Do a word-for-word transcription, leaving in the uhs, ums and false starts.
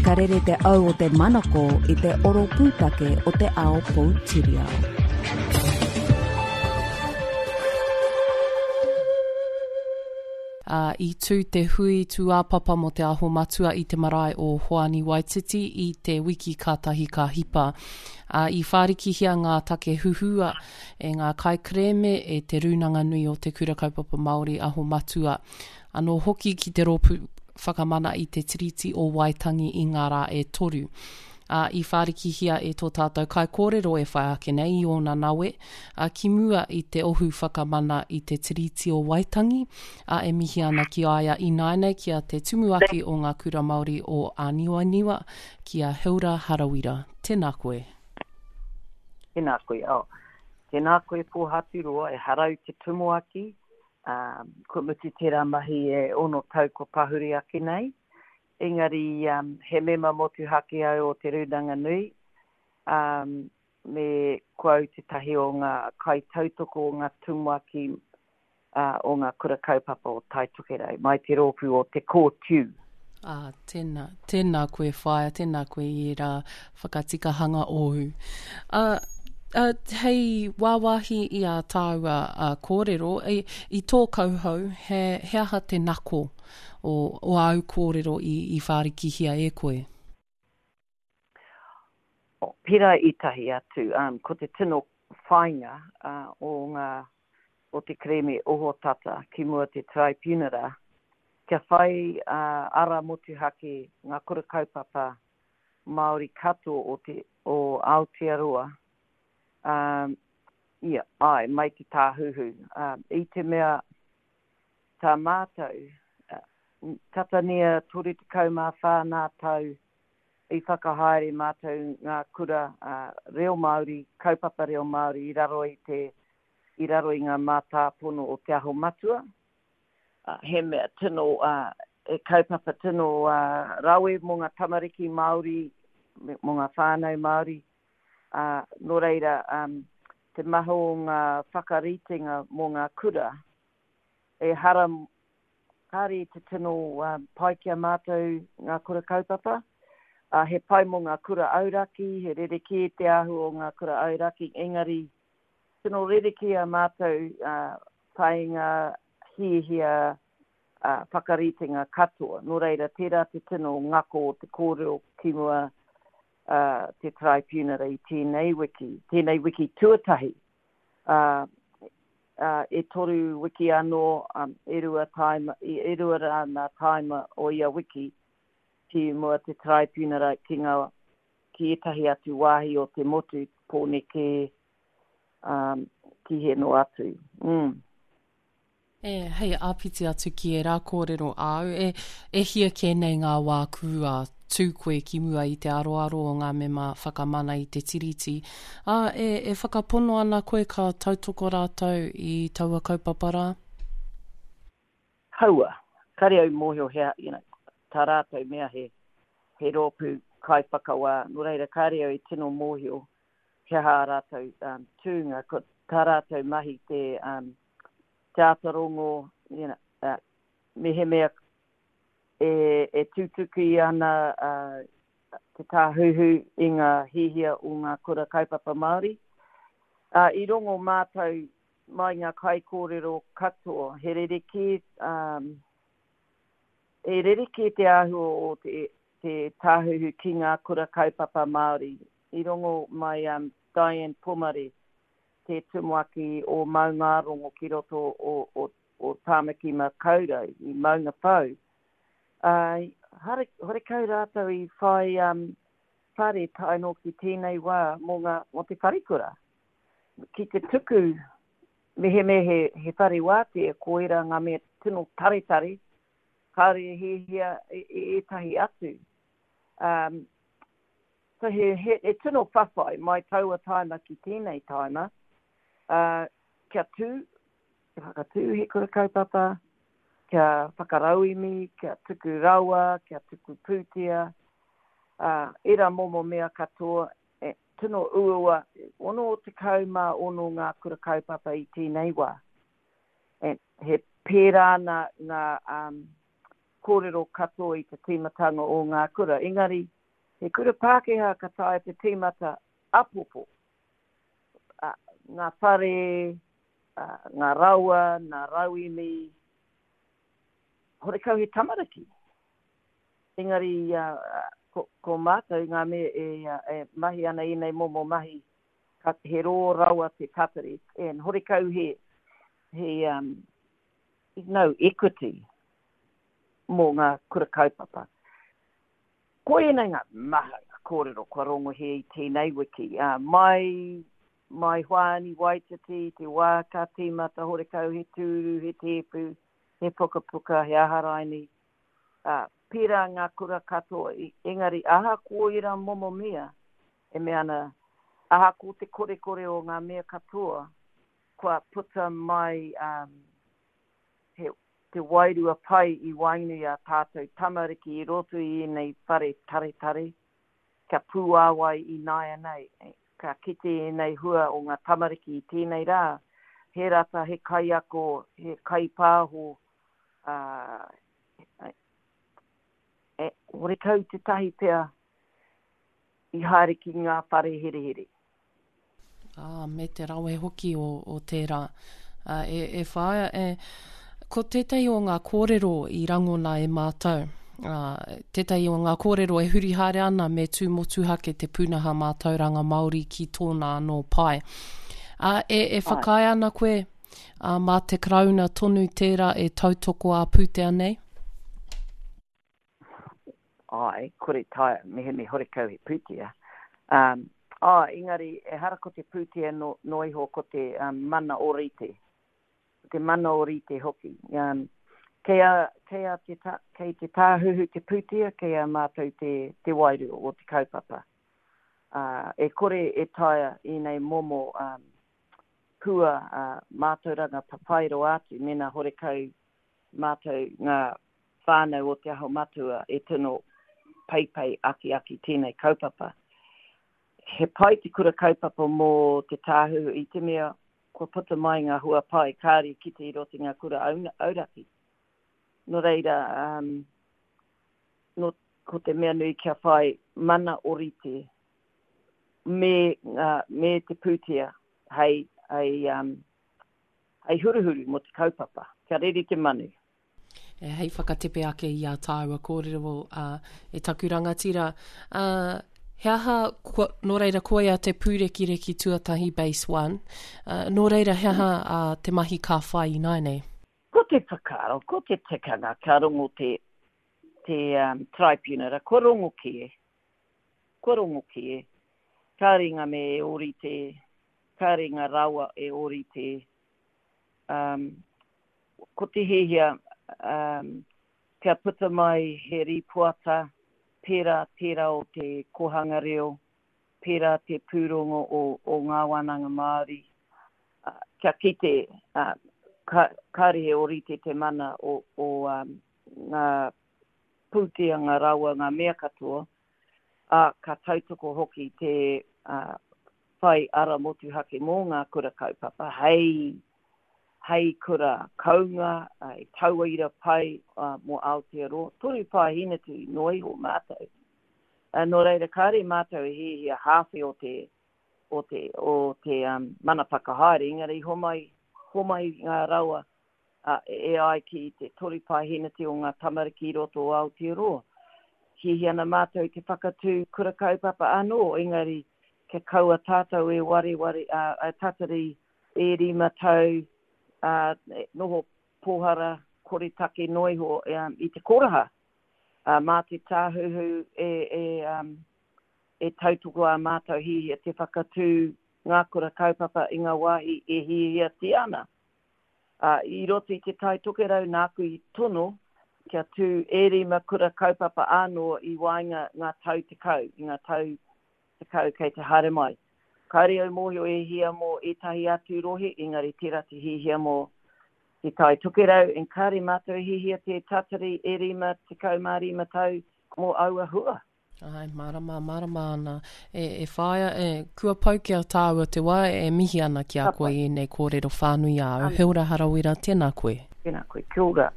Ka rere te au o te manako i te oro pūtake o te ao poutiriao. Ā, i tū te hui tūāpapa mō Te Aho Matua i te marae o Hoani Waititi i te wiki kātahi ka hipa. Ā, i whārikihia ngā take huhua e ngā kaikerēme e Te Rūnanga Nui o Te Kura Kaupapa Māori Aho Matua, anō hoki ki te Rōpū Whakamana i te Tiriti o Waitangi i ngā rā e toru. Ā, i whārikihia e tō tātou kaikōrero e whai ake nei i ōna nawe, ā, ki mua i te Ohu Whakamana i te Tiriti o Waitangi, ā, e mihi ana ki a ia ināianei ki a te Tumuaki o Ngā Kura Māori o Āniwaniwa, ki a Hilda Harawira. Tēnā koe. Tēnā koe. Oh, tēnā koe Pōhaturoa, ehara au te Tumuaki, ā, kua mutu tērā mahi e ono tau kua pahure ake nei. Engari um, he mema motuhake au o Te Rūnanga Nui, um, me ko au tētahi o ngā kaitautoko o ngā tumuaki uh, o ngā kura kaupapa o Tai Tokerau, mai te rōpū o Te Kōtiu. Ah, tēnā, tēnā koe whaea, tēnā koe i ērā whakatikahanga ōu. Uh, uh, hei wāwāhi i a tāua uh, kōrero, i, i tō kauhau, he, he aha te nako o, o āu kōrero i, i whārikihia e koe? Pērā i tahi atu, um, ko te tino whāinga uh, o, ngā, o te kerēme ohotata ki mua te taraipiunara, kia whai uh, ara motuhake ngā kura kaupapa Māori katoa o, te, o Aotearoa, um, ia, ai, mai te tāhuhu. Um, I te mea tā mātou, uh, tata nia toru tekau mā whā nā tau i whakahaere mātou ngā kura uh, reo Māori, kaupapa reo Māori i raro i te i raro i ngā mātāpono o Te Aho Matua. Uh, he mea tino, uh, e kaupapa tino uh, rawe mō ngā tamariki Māori, mō ngā whānau Māori. Uh, nō reira, um, te maha o ngā whakaritenga mō ngā kura, e hara kāre te tino uh, pai ki a mātou ngā kura kaupapa. Uh, he pai mō ngā kura auraki, he rerekē te āhua o ngā kura auraki, engari tino rerekē a mātou uh, whāinga, hiahia, uh, whakaritenga katoa. Nō reira, tērā te tino ngako o te kōrero ki mua uh, te taraipiunara i tēnei wiki, tēnei wiki tuatahi. Uh, uh, e toru wiki anō, um, e rua taima, e rua rā ngā taima o ia wiki ki mua te taraipiunara ki ngā, ki ētahi atu wāhi o te motu, Pōneke, um, ki he noa atu. Mm. E, hei āpiti atu ki ērā kōrero āu, e, e hia kē nei ngā wā kua tū koe ki mua i te aroaro o ngā mema whakamana i te Tiriti, ā, e, e whakapono ana koe ka tautoko rātou i taua kaupapa rā? Haua, kare au mōhio he, you know, tā rātou mea he, he rōpū kaiwhakawā, nō reira kare au i tino mōhio he aha ā rātou um, tūnga, ko tā rātou mahi te, um, te āta rongo, you know, uh, mehemea e, e tutuki ana uh, te tāhuhu i ngā hiahia o ngā kura kaupapa Māori. Uh, i rongo mātou mai ngā kaikōrero katoa, he rerekē, um, e rerekē te āhua o te, te tāhuhu ki ngā kura kaupapa Māori. I rongo mai um, Diane Pomare, te tumuaki o Maungārongo ki roto o, o, o Tāmaki Makaurau, i Maungawhau. Uh, hare, horekau rātou i whai um, whare tae noa ki tēnei wā mō, ngā, mō te wharekura. Ki te tuku mehemea he, he whare wātea, ko ērā ngā mea tino taretare, kāore e hiahia e, e ētahi atu. Um, so he, he, he tino whawhai mai taua taima ki tēnei taima, uh, kia tū, kia whakatū he kura kaupapa, kia whakarauemi, kia tuku rawa, kia tuku pūtea, uh, ērā momo mea katoa, e, tino uaua, ono tekau mā ono ngā kura kaupapa i tēnei wā. E, he pērā ana ngā um, kōrero katoa i te tīmatanga o ngā kura. Engari, he kura Pākehā ka taea te tīmata apopo. Uh, ngā whare, uh, ngā rawa, ngā rauemi, horekau he tamariki. Engari, uh, ko, ko mātou ngā mea e, e mahi ana ēnei momo mahi, ka he rō rawa te tatari. And horekau he, he um, no equity mō ngā kura kaupapa. Ko ēnei ngā maha ngā kōrero kua rongohia i tēnei wiki. Uh, mai, mai Hoani Waititi, te wā ka tīmata horekau he tūru, he tēpu, he pukapuka, he aha raini. Uh, pērā ngā kura katoa, engari ahakoa ērā momo mea, e mea ana, ahakoa te korekore o ngā mea katoa, kua puta mai um, he, te wairua pai i waenganui a tātou tamariki i roto i ēnei whare taretare, kia pūāwai i nāianei, ka kite ēnei hua o ngā tamariki i tēnei rā, he rata, he kaiako, he kaipāho, uh, e, horekau tētahi pea i haere ki ngā whare herehere. Ah, me te rawe hoki o, o tērā. Uh, e, e whaia, e, ko tētahi o ngā kōrero i rangona e mātou, uh, tētahi o ngā kōrero e huri haere ana me tū motuhake te pūnaha mātauranga Māori ki tōna anō pae. Uh, e, e whakaae ana koe uh, mā te Karauna tonu tērā e tautoko ā pūtea nei? Ai, kore taea, mehemea horekau he pūtea. Um, ah, engari, ehara ko te pūtea no, no iho ko te um, mana ōrite. Te mana ōrite hoki. Um, kei, a, kei, a te ta, kei te tāhuhu te pūtea, kei a mātou te, te wairua o te kaupapa. Uh, e kore e taea ēnei momo um, hua uh, mātauranga papai rawa atu, mena horekau mātou ngā whānau o Te Aho Matua e tino peipei akiaki tēnei kaupapa. He pai te kura kaupapa mō te tāhuhu i te mea kua puta mai ngā hua pai kāre kite i roto i ngā kura auraki. Nō reira, um, no, ko te mea nui kia whai mana ōrite me, uh, me te pūtea hei, hei, um, hei huruhuru mō te kaupapa. Kia rere te manu. E, hei whakatepe ake i a tāua kōrero uh, e taku rangatira. Uh, he aha, ko, nō reira koia te pūrekireki tuatahi base one, uh, nō reira he aha uh, te mahi ka whai ināianei? Ko te whakaaro, ko te tikanga ka rongo te, te um, tribunal, kua rongo kē, kua rongo kē, kāre ngā mea e ōrite, kāre ngā rawa e ōrite, um, ko te hiahia, um, kia puta mai he rīpoata, pērā tērā o te kōhanga reo, pērā te pūrongo o, o ngā wānanga Māori, uh, kia kite, uh, ka, kāre he ōrite te mana o, o um, ngā pūtea, ngā rawa, ngā mea katoa, uh, ka tautoko hoki te uh, whai ara motuhake mō ngā kura kaupapa, hei, hei kura kounga, hei tauira pai uh, mō Aotearoa, toru paeheneti noa iho mātou. Uh, nō reira, kāre mātou e hiahia hāwhe o te, o te, o te um, mana whakahaere, engari homai, homai ngā rawa uh, e ai ki te toru paeheneti o ngā tamariki i roto o Aotearoa. Hiahia ana mātou te whakatū kura kaupapa anō, engari kia kaua tātou e wareware, uh, uh, tatari e rima tau, uh, noho pōhara, koretake noa iho um, i te koraha. Uh, mā te tāhuhu e, e, um, e tautoko a mātou hiahia te whakatū ngā kura kaupapa i ngā wāhi e hiahiatia ana. Uh, i roto i te Tai Tokerau nāku i tono kia tū e rima kura kaupapa anō i waenga ngā tau tekau, i ngā tau tekau kei te haere mai. Kāre au mōhio e hia mō ētahi atu rohe, engari tērā te hiahia mō te Tai Tokerau, en kāre mātou e hiahia te tatari e rima tekau mā rima tau mō aua hua. Ai, mārama, mārama ana. E, e whaia, e, kua pau ki a tāua te wā, e mihi ana ki a koe i ēnei kōrero whānui āu. He ora Harawira, tēnā koe. Tēnā koe, kia ora.